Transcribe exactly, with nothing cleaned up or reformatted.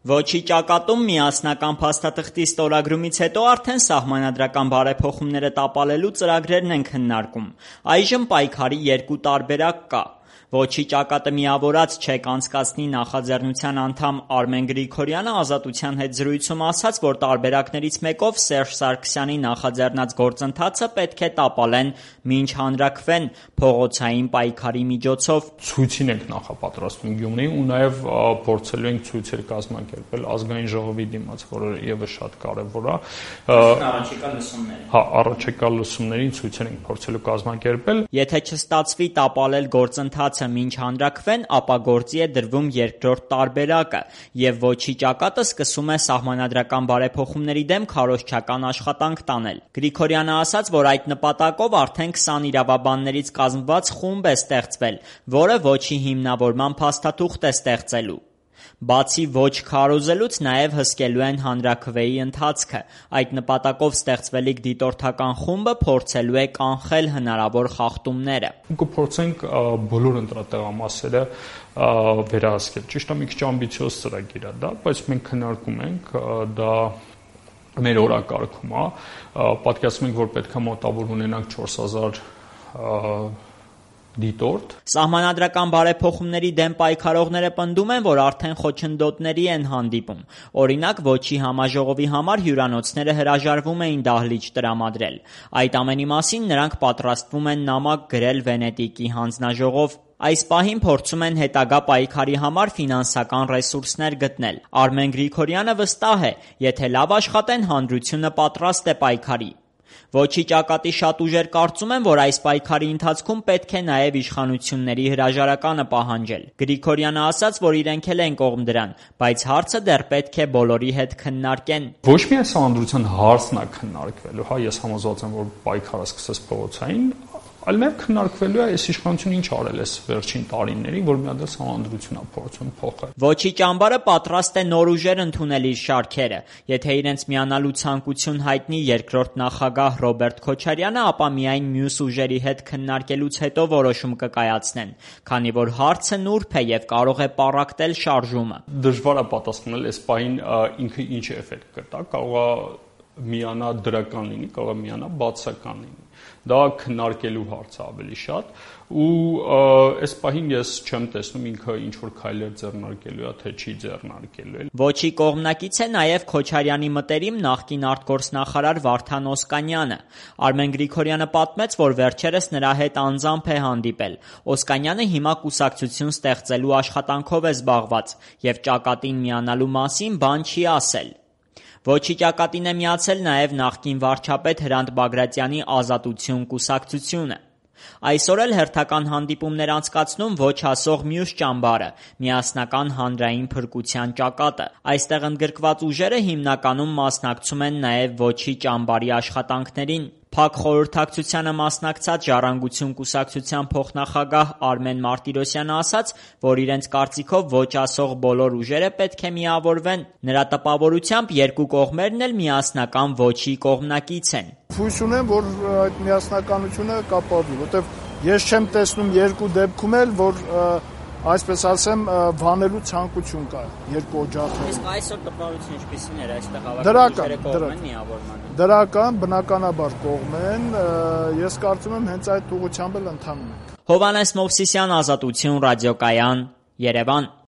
Ոչի ճակատում միասնական փաստաթղթի ստորագրումից հետո արդեն սահմանադրական բարեփոխումները տապալելու ծրագրերն են քննարկում։ Այժմ պայքարի երկու տարբերակ կա։ Ոչի ճակատը միավորած չեք անցկացնի նախաձեռնության անդամ Արմեն Գրիգորյանը Ազատության հետ զրույցում ասաց, որ տարբերակներից մեկով Սերժ Սարգսյանի նախաձեռնած գործընթացը պետք է տապալեն, մինչ հանրաքվեն փողոցային պայքարի միջոցով։ Ցույցին ենք նախապատրաստվում Գյումրիում ու նաև փորձելու ենք ցույցեր կազմակերպել ազգային ժողովի դիմաց, որը ևս շատ կարևոր է։ Առաջիկա լսումներին։ Հա, առաջիկա լսումներին ցույցեր ենք փորձելու կազմակերպել։ Եթե չստացվի տապալել գործընթացը մինչ հանրաքվեն, ապա գործի է դրվում երկրորդ տարբերակը, եւ Ոչի ճակատը սկսում է սահմանադրական բարեփոխումների դեմ քարոզչական աշխատանք տանել։ Գրիգորյանը ասաց, որ այդ նպատակով արդեն քսան իրավաբաններից կազմված խումբ է ստեղծվել, որը Ոչի հիմնավորման փաստաթուղթ է ստեղծելու։ Բացի ոչ քարոզելուց նաև հսկելու են հանրաքվեի ընթացքը։ Այդ նպատակով ստեղծվելիք դիտորդական խումբը փորձելու է կանխել հնարավոր խախտումները։ Կփորձենք բոլոր ընտրատեղամասերը վերահսկել։ Ճիշտ է, մի քիչ ամբիցիոզ ծրագիր է դա, բայց մենք քննարկում ենք դա մեր օրակարգում է։ Պատկերացնում ենք, որ պետք է մոտավոր ունենանք չորս հազար դիտորդ։ Սահմանադրական բարեփոխումների դեմ պայքարողները պնդում են, որ արդեն խոչընդոտների են հանդիպում։ Օրինակ, Ոչի համաժողովի համար հյուրանոցները հրաժարվում էին դահլիճ տրամադրել։ Այդ ամենի մասին նրանք պատրաստվում են նամակ գրել Վենետիկի հանձնաժողով։ Այս պահին փորձում են հետագա պայքարի համար ֆինանսական ռեսուրսներ գտնել։ Արմեն Գրիգորյանը վստահ է, եթե լավ աշխատեն, հանրությունը պատրաստ է պայքարի։ Ոչի ճակատի շատ ուժեր կարծում են, որ այս պայքարի ընթացքում պետք է նաև իշխանությունների հրաժարականը պահանջել։ Գրիգորյանը ասաց, որ իրենք էլ են կողմ դրան, բայց հարցը դեռ պետք է բոլորի հետ քննարկեն։ Ոչ միայն սահմանադրության հարցն է քննարկվելու, հա, ես համոզված եմ, որ պայքարը սկսես փողոցային, այլ նաև քննարկվելու է այս իշխանությունը ինչ արել է վերջին տարիներին, որ միադեռ սահմանադրություն է փորձում փոխել։ Ոչի ճամբարը պատրաստ է նոր ուժեր ընդունել իր շարքերը։ Եթե իրենց միանալու ցանկություն հայտնի երկրորդ նախագահ Ռոբերտ Քոչարյանը, ապա միայն մյուս ուժերի հետ քննարկելուց հետո որոշում կկայացնեն, քանի որ հարցը նուրբ է եւ կարող է պառակտել շարժումը։ Դժվար է պատասխանել այս պահին ինքը ինչ էֆեկտ կտա, կարող է միանա դրական լինի, կարող է միանա բացական լինի։ Դա քննարկելու հարց է ավելի շատ ու այս պահին ես չեմ տեսնում ինքը ինչ որ քայլեր ձեռնարկելու է, թե չի ձեռնարկելու։ Ոչի կողմնակից է նաև Քոչարյանի մտերիմ նախկին արտգործնախարար Վարդան Օսկանյանը։ Արմեն Գրիգորյանը պատմեց, որ վերջերս նրա հետ անձամբ է հանդիպել։ Օսկանյանը հիմա կուսակցություն ստեղծելու աշխատանքով է զբաղված եւ ճակատին միանալու մասին բան չի ասել։ Ոչի ճակատին է միացել նաև նախկին վարչապետ Հրանտ Բագրատյանի Ազատություն կուսակցությունը։ Այսօր էլ հերթական հանդիպումներ անցկացնում ոչ ասող մյուս ճամբարը՝ միասնական հանրային փրկության ճակատը։ Այստեղ ընդգրկված ուժերը հիմնականում մասնակցում են նաև Ոչի ճամբարի աշխատանքներին։ Փակ խորհրդակցությանը մասնակցած Ժառանգություն կուսակցության փոխնախագահ Արմեն Մարտիրոսյանը ասաց, որ իրենց կարծիքով ոչ ասող բոլոր ուժերը պետք է միավորվեն։ Նրա տպավորությամբ երկու կողմերն էլ միասնական Ոչի կողմնակից են։ Հույս ունեմ, որ այդ միասնականությունը կապավի, որտեղ ես չեմ տեսնում երկու դեպքում էլ, որ այսպես ասեմ, վանելու ցանկություն կա երկու օջախներում։ Իսկ այսօր տպավորությունը ինչպիսին էր, այստեղ հավաքական կողմ են միավորմանը։ Դրական, բնականաբար կողմ են, ես կարծում եմ հենց այդ ուղղությամբ էլ ընթանում ենք։ Հովհաննես Մովսիսյան, Ազատություն, ռադիոկայան, Երևան։